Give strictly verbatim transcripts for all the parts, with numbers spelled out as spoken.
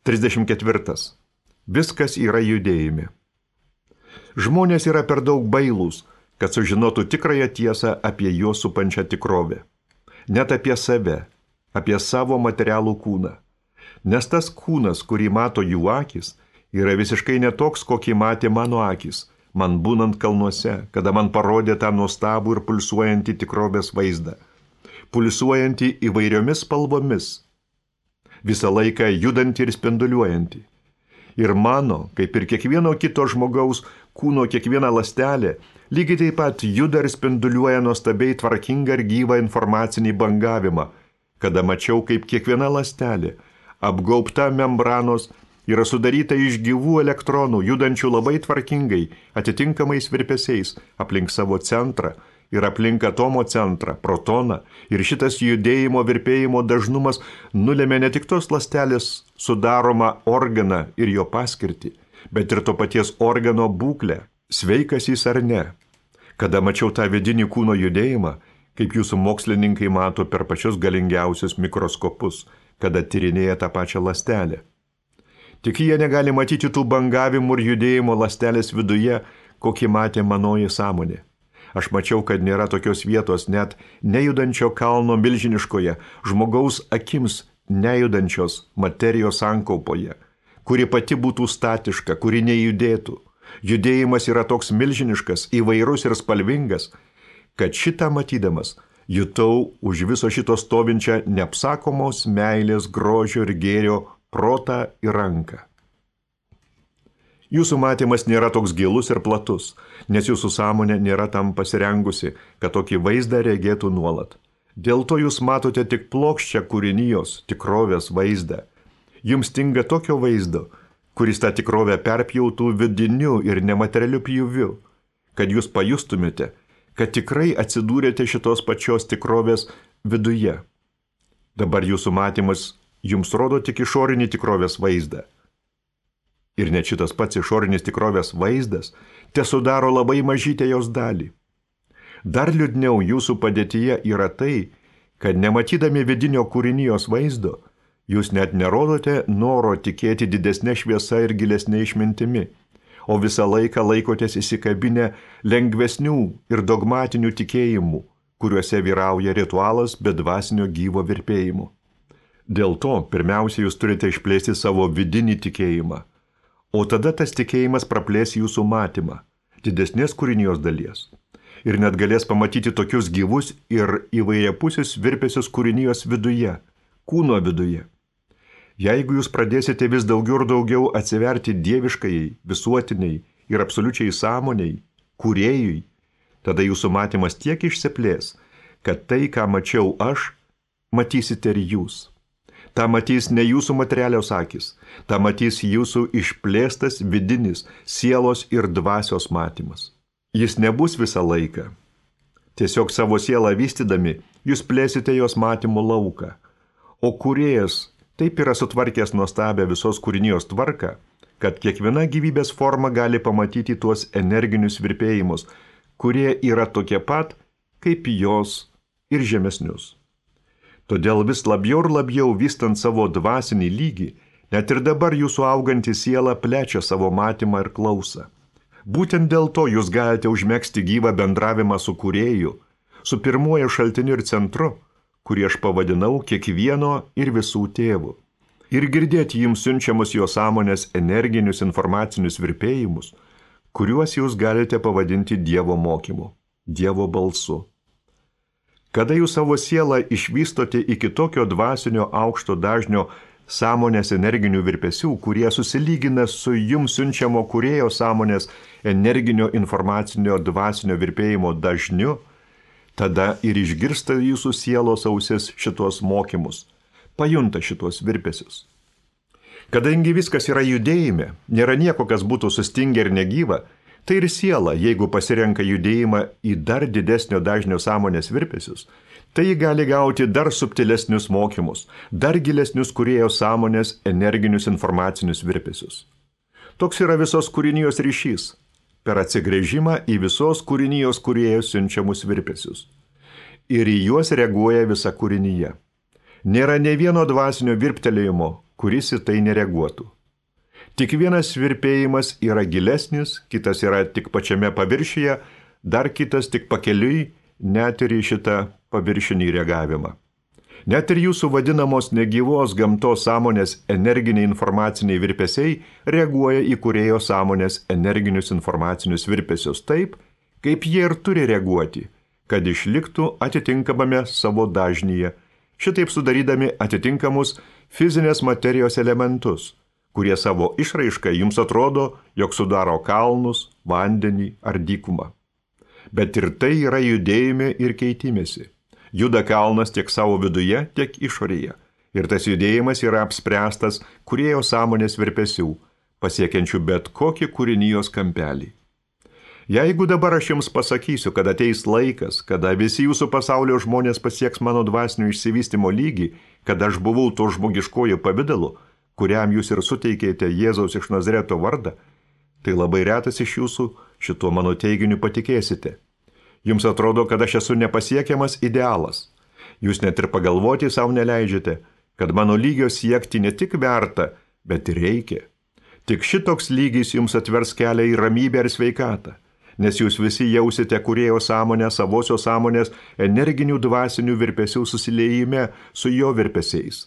trisdešimt ketvirtas. Viskas yra judėjime. Žmonės yra per daug bailūs, kad sužinotų tikrąją tiesą apie juos supančią tikrovę. Net apie save, apie savo materialų kūną. Nes tas kūnas, kurį mato jų akis, yra visiškai netoks, kokį matė mano akis, man būnant kalnuose, kada man parodė tą nuostabų ir pulsuojantį tikrovės vaizdą. Pulsuojantį įvairiomis spalvomis. Visą laiką judantį ir spinduliuojantį. Ir mano, kaip ir kiekvieno kito žmogaus kūno kiekviena ląstelė, lygiai taip pat juda ir spinduliuoja nuostabiai tvarkingą ir gyvą informacinį bangavimą, kada mačiau, kaip kiekviena ląstelė, apgaubta membranos, yra sudaryta iš gyvų elektronų, judančių labai tvarkingai, atitinkamais virpesiais, aplink savo centrą ir aplink atomo centrą, protoną, ir šitas judėjimo virpėjimo dažnumas nulėmė ne tik tos ląstelės sudaromą organą ir jo paskirtį, bet ir to paties organo būklę, sveikas jis ar ne. Kada mačiau tą vidinį kūno judėjimą, kaip jūsų mokslininkai mato per pačius galingiausius mikroskopus, kada tyrinėja tą pačią ląstelę. Tik jie negali matyti tų bangavimų ir judėjimo ląstelės viduje, kokį matė manoji sąmonė. Aš mačiau, kad nėra tokios vietos net nejudančio kalno milžiniškoje, žmogaus akims nejudančios materijos sankaupoje, kuri pati būtų statiška, kuri nejudėtų. Judėjimas yra toks milžiniškas, įvairus ir spalvingas, kad šitą matydamas jutau už viso šito stovinčią neapsakomos meilės, grožio ir gėrio protą ir ranką. Jūsų matymas nėra toks gilus ir platus, nes jūsų sąmonė nėra tam pasirengusi, kad tokį vaizdą regėtų nuolat. Dėl to jūs matote tik plokščią kūrinijos, tikrovės vaizdą. Jums stinga tokio vaizdo, kuris tą tikrovę perpjautų vidiniu ir nematerialiu pjūviu, kad jūs pajustumėte, kad tikrai atsidūrėte šitos pačios tikrovės viduje. Dabar jūsų matymas jums rodo tik išorinį tikrovės vaizdą. Ir net šitas pats išorinis tikrovės vaizdas te sudaro labai mažytę jos dalį. Dar liūdniau jūsų padėtyje yra tai, kad nematydami vidinio kūrinijos vaizdo, jūs net nerodote noro tikėti didesnė šviesa ir gilesnė išmintimi, o visą laiką laikotės įsikabinę lengvesnių ir dogmatinių tikėjimų, kuriuose vyrauja ritualas be dvasinio gyvo virpėjimo. Dėl to pirmiausia jūs turite išplėsti savo vidinį tikėjimą, o tada tas tikėjimas praplės jūsų matymą, didesnės kūrinijos dalies, ir net galės pamatyti tokius gyvus ir įvairiapusius virpesius kūrinijos viduje, kūno viduje. Jeigu jūs pradėsite vis daugiau ir daugiau atsiverti dieviškajai, visuotiniai ir absoliučiai sąmoniai, kūrėjui, tada jūsų matymas tiek išsiplės, kad tai, ką mačiau aš, matysite ir jūs. Ta matys ne jūsų materialios akis, ta matys jūsų išplėstas vidinis sielos ir dvasios matymas. Jis nebus visą laiką. Tiesiog savo sielą vystydami, jūs plėsite jos matymo lauką. O kūrėjas taip yra sutvarkęs nuostabę visos kūrinijos tvarką, kad kiekviena gyvybės forma gali pamatyti tuos energinius virpėjimus, kurie yra tokie pat, kaip jos ir žemesnius. Todėl vis labiau ir labiau vystant savo dvasinį lygį, net ir dabar jūsų auganti siela plečia savo matymą ir klausą. Būtent dėl to jūs galite užmegzti gyvą bendravimą su kūrėju, su pirmuoju šaltiniu ir centru, kurį aš pavadinau kiekvieno ir visų tėvų, ir girdėti jums siunčiamus jo sąmonės energinius informacinius virpėjimus, kuriuos jūs galite pavadinti Dievo mokymu, Dievo balsu. Kada jūs savo sielą išvystote iki tokio dvasinio aukšto dažnio sąmonės energinių virpesių, kurie susilygina su jums siunčiamo kūrėjo sąmonės energinio informacinio dvasinio virpėjimo dažniu, tada ir išgirsta jūsų sielos ausis šitos mokymus, pajunta šitos virpesius. Kadangi viskas yra judėjime, nėra nieko, kas būtų sustingę ir negyva, tai ir siela, jeigu pasirenka judėjimą į dar didesnio dažnio sąmonės virpesius, tai ji gali gauti dar subtilesnius mokymus, dar gilesnius kūrėjo sąmonės energinius informacinius virpesius. Toks yra visos kūrinijos ryšys, per atsigręžimą į visos kūrinijos kūrėjos siunčiamus virpesius. Ir į juos reaguoja visa kūrinyje. Nėra ne vieno dvasinio virptelėjimo, kuris į tai nereaguotų. Tik vienas virpėjimas yra gilesnis, kitas yra tik pačiame paviršyje, dar kitas tik pakeliui, net ir į šitą paviršinį reagavimą. Net ir jūsų vadinamos negyvos gamtos sąmonės energiniai informaciniai virpesiai reaguoja į kūrėjo sąmonės energinius informacinius virpesius taip, kaip jie ir turi reaguoti, kad išliktų atitinkamame savo dažnyje, šitaip sudarydami atitinkamus fizinės materijos elementus, kurie savo išraiškai jums atrodo, jog sudaro kalnus, vandenį ar dykumą. Bet ir tai yra judėjime ir keitimėsi. Juda kalnas tiek savo viduje, tiek išorėje. Ir tas judėjimas yra apspręstas kūrėjo sąmonės virpesių, pasiekiančių bet kokį kūrinijos kampelį. Jeigu dabar aš jums pasakysiu, kad ateis laikas, kada visi jūsų pasaulio žmonės pasieks mano dvasinio išsivystymo lygį, kad aš buvau to žmogiškojo pavidalu, kuriam jūs ir suteikėte Jėzaus iš Nazareto vardą, tai labai retas iš jūsų šituo mano teiginiu patikėsite. Jums atrodo, kad aš esu nepasiekiamas idealas. Jūs net ir pagalvoti savo neleidžiate, kad mano lygio siekti ne tik verta, bet ir reikia. Tik šitoks lygis jums atvers kelią į ramybę ir sveikatą, nes jūs visi jausite kūrėjo sąmonę, savosios sąmonės, energinių dvasinių virpesių susiliejime su jo virpesiais.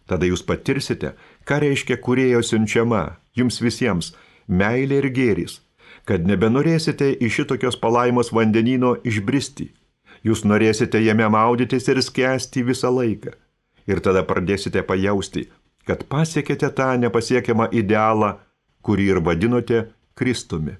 Tada jūs patirsite, ką reiškia kūrėjo siunčiama, jums visiems, meilė ir gėris, kad nebenorėsite iš šitokios palaimos vandenyno išbristi. Jūs norėsite jame maudytis ir skęsti visą laiką. Ir tada pradėsite pajausti, kad pasiekėte tą nepasiekiamą idealą, kurį ir vadinote Kristumi.